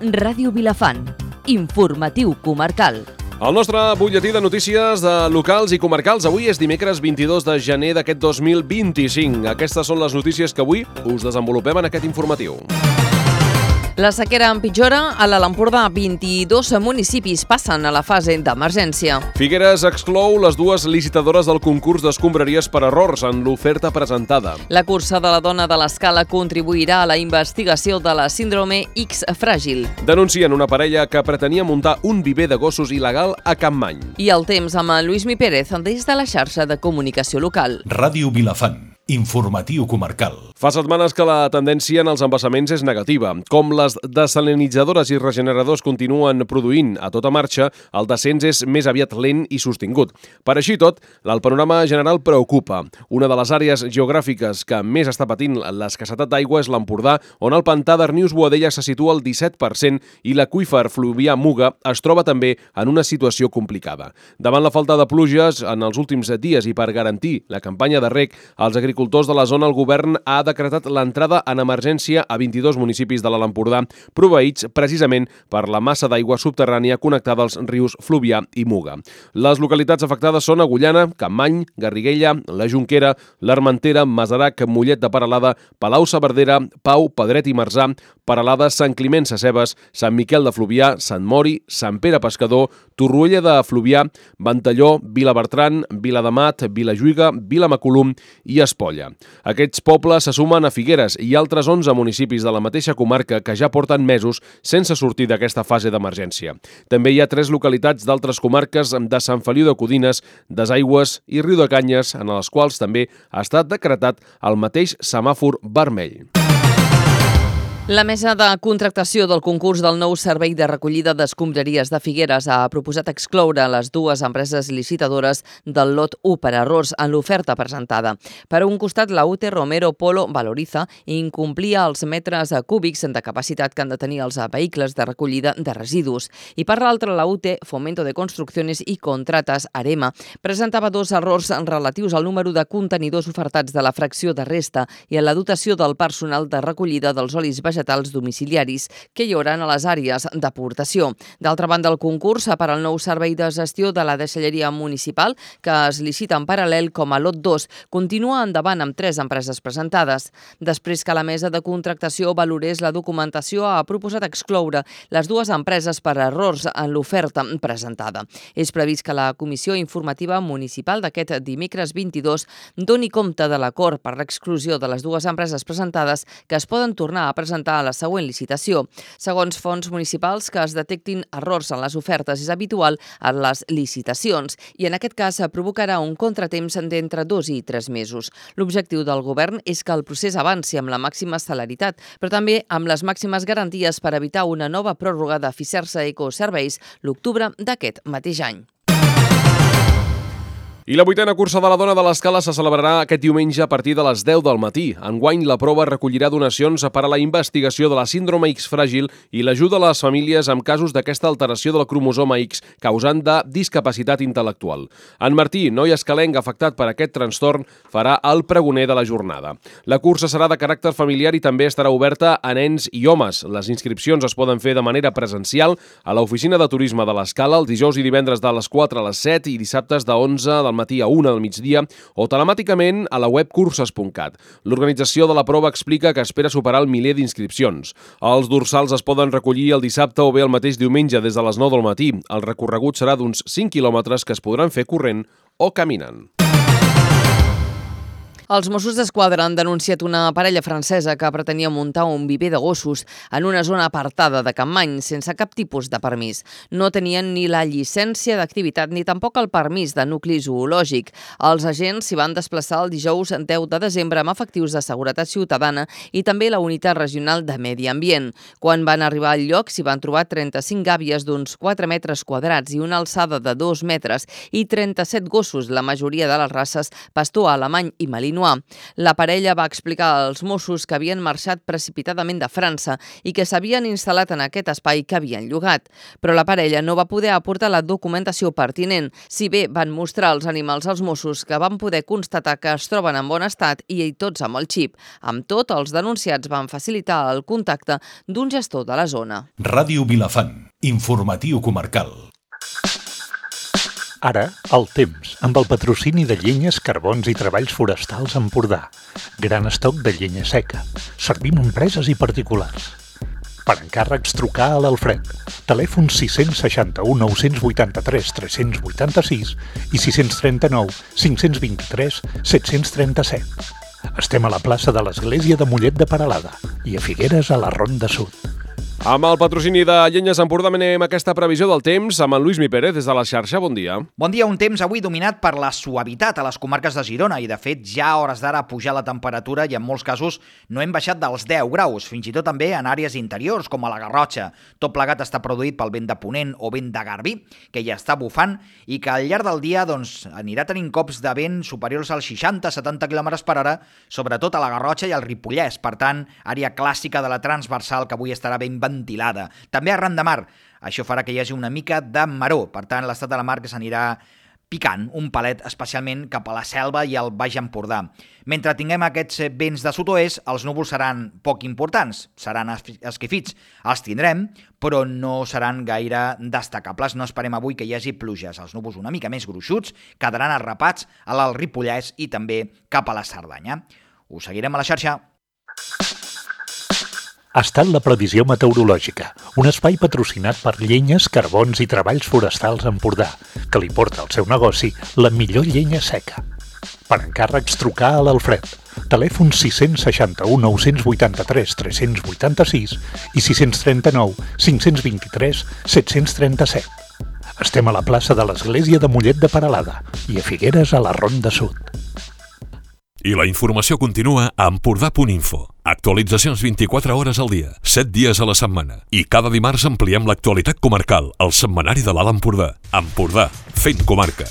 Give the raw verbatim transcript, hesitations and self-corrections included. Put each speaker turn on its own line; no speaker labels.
Ràdio Vilafant. Informatiu comarcal.
El nostre butlletí de notícies de locals i comarcals avui és dimecres vint-i-dos de gener d'aquest dos mil vint-i-cinc. Aquestes són les notícies que avui us desenvolupem en aquest informatiu.
La sequera empitjora. A l'Alt Empordà, vint-i-dos municipis passen a la fase d'emergència.
Figueres exclou les dues licitadores del concurs d'escombraries per errors en l'oferta presentada.
La cursa de la dona de l'Escala contribuirà a la investigació de la síndrome X fràgil.
Denuncien una parella que pretenia muntar un viver de gossos il·legal a Campmany.
I el temps amb en Lluís Mi Pérez des de la xarxa de comunicació local.
Ràdio Vilafant. Informatiu comarcal.
Fa setmanes que la tendència en els embassaments és negativa. Com les desalinitzadores i regeneradors continuen produint a tota marxa, el descens és més aviat lent i sostingut. Per així tot, el panorama general preocupa. Una de les àrees geogràfiques que més està patint l'escassetat d'aigua és l'Empordà, on el pantà d'Arnius-Boadella se situa al disset per cent i l'aqüífer fluvià Muga es troba també en una situació complicada. Davant la falta de pluges en els últims dies i per garantir la campanya de reg, els agricultors de la zona, el govern ha decretat l'entrada en emergència a vint-i-dos municipis de l'Alt Empordà, proveïts precisament per la massa d'aigua subterrània connectada als rius Fluvià i Muga. Les localitats afectades són Agullana, Campmany, Garriguella, la Jonquera, l'Armentera, Masarac, Mollet de Peralada, Palau-saverdera, Pau, Pedret i Marzà, Peralada, Sant Climent Sescebes, Sant Miquel de Fluvià, Sant Mori, Sant Pere Pescador, Torroella de Fluvià, Ventalló, Vilabertran, Viladamat, Vilajuïga, Vilamacolum i Espolla. Aquests pobles se sumen a Figueres i altres onze municipis de la mateixa comarca que ja porten mesos sense sortir d'aquesta fase d'emergència. També hi ha tres localitats d'altres comarques de Sant Feliu de Codines, Desaigües i Riu de Canyes, en les quals també ha estat decretat el mateix semàfor vermell.
La mesa de contractació del concurs del nou servei de recollida d'escombraries de Figueres ha proposat excloure les dues empreses licitadores del lot u per errors en l'oferta presentada. Per un costat, la U T Romero Polo Valoriza incomplia els metres cúbics de capacitat que han de tenir els vehicles de recollida de residus. I per l'altra, la U T Fomento de Construcciones i Contratas Arema presentava dos errors relatius al número de contenidors ofertats de la fracció de resta i a la dotació del personal de recollida dels olis vegetals vegetals domiciliaris que hi hauran a les àrees d'aportació. D'altra banda, el concurs per al nou servei de gestió de la deixalleria municipal, que es licita en paral·lel com a lot dos, continua endavant amb tres empreses presentades. Després que la mesa de contractació valorés la documentació, ha proposat excloure les dues empreses per errors en l'oferta presentada. És previst que la Comissió Informativa Municipal d'aquest dimecres vint-i-dos doni compte de l'acord per l'exclusió de les dues empreses presentades, que es poden tornar a presentar a la següent licitació. Segons fonts municipals, que es detectin errors en les ofertes és habitual en les licitacions i en aquest cas provocarà un contratemps d'entre dos i tres mesos. L'objectiu del govern és que el procés avanci amb la màxima celeritat, però també amb les màximes garanties per evitar una nova pròrroga de Fisersa Ecoserveis l'octubre d'aquest mateix any.
I la vuitena cursa de la dona de l'Escala se celebrarà aquest diumenge a partir de les deu del matí. Enguany, la prova recollirà donacions per a la investigació de la síndrome X fràgil i l'ajuda a les famílies amb casos d'aquesta alteració del cromosoma X causant de discapacitat intel·lectual. En Martí, noi escalenc afectat per aquest trastorn, farà el pregoner de la jornada. La cursa serà de caràcter familiar i també estarà oberta a nens i homes. Les inscripcions es poden fer de manera presencial a l'oficina de turisme de l'Escala els dijous i divendres de les quatre a les set i dissabtes de onze del matí a una del migdia o telemàticament a la web curses punt cat. L'organització de la prova explica que espera superar el miler d'inscripcions. Els dorsals es poden recollir el dissabte o bé el mateix diumenge des de les nou del matí. El recorregut serà d'uns cinc quilòmetres que es podran fer corrent o caminant.
Els Mossos d'Esquadra han denunciat una parella francesa que pretenia muntar un viver de gossos en una zona apartada de Campmany sense cap tipus de permís. No tenien ni la llicència d'activitat ni tampoc el permís de nucli zoològic. Els agents s'hi van desplaçar el dijous deu de desembre amb efectius de seguretat ciutadana i també la unitat regional de medi ambient. Quan van arribar al lloc s'hi van trobar trenta-cinc gàbies d'uns quatre metres quadrats i una alçada de dos metres i trenta-set gossos, la majoria de les races pastor alemany i malinois, continuar. La parella va explicar als Mossos que havien marxat precipitadament de França i que s'havien instal·lat en aquest espai que havien llogat. Però la parella no va poder aportar la documentació pertinent, si bé van mostrar els animals als Mossos, que van poder constatar que es troben en bon estat i tots amb el xip. Amb tot, els denunciats van facilitar el contacte d'un gestor de la zona.
Ràdio Vilafant, informatiu comarcal.
Ara, el temps, amb el patrocini de Llenyes, Carbons i Treballs Forestals Empordà. Gran estoc de llenya seca. Servim a empreses i particulars. Per encàrrecs, trucar a l'Alfred. Telèfon sis seixanta u nou vuitanta-tres tres vuitanta-sis i sis trenta-nou cinc vint-i-tres set trenta-set. Estem a la plaça de l'Església de Mollet de Peralada i a Figueres, a la Ronda Sud.
Amb el patrocini de Llenyes Empordà anem aquesta previsió del temps amb en Lluís Mi Pérez des de la xarxa. Bon dia.
Bon dia, un temps avui dominat per la suavitat a les comarques de Girona i de fet ja a hores d'ara pujar la temperatura i en molts casos no hem baixat dels deu graus, fins i tot també en àrees interiors com a la Garrotxa. Tot plegat està produït pel vent de ponent o vent de garbí que ja està bufant i que al llarg del dia doncs, anirà tenint cops de vent superiors als seixanta a setanta quilòmetres per hora, sobretot a la Garrotxa i al Ripollès. Per tant, àrea clàssica de la transversal que avui estarà ben ventilada. També arran de mar. Això farà que hi hagi una mica de maror. Per tant, l'estat de la mar que s'anirà picant un palet, especialment cap a la Selva i al Baix Empordà. Mentre tinguem aquests vents de sud-oest, els núvols seran poc importants, seran esquifits. Els tindrem, però no seran gaire destacables. No esperem avui que hi hagi pluges. Els núvols una mica més gruixuts quedaran arrapats a l'Alt Ripollès i també cap a la Cerdanya. Us seguirem a la xarxa.
Ha estat la previsió meteorològica, un espai patrocinat per Llenyes, Carbons i Treballs Forestals Empordà, que li porta al seu negoci la millor llenya seca. Per encàrrecs, trucar a l'Alfred. Telèfon sis seixanta u nou vuitanta-tres tres vuitanta-sis i sis trenta-nou cinc vint-i-tres set trenta-set. Estem a la plaça de l'Església de Mollet de Peralada i a Figueres, a la Ronda Sud.
I la informació continua a empordà punt info. Actualitzacions vint-i-quatre hores al dia, set dies a la setmana. I cada dimarts ampliem l'actualitat comarcal, al setmanari de l'Alt Empordà. Empordà, fent comarca.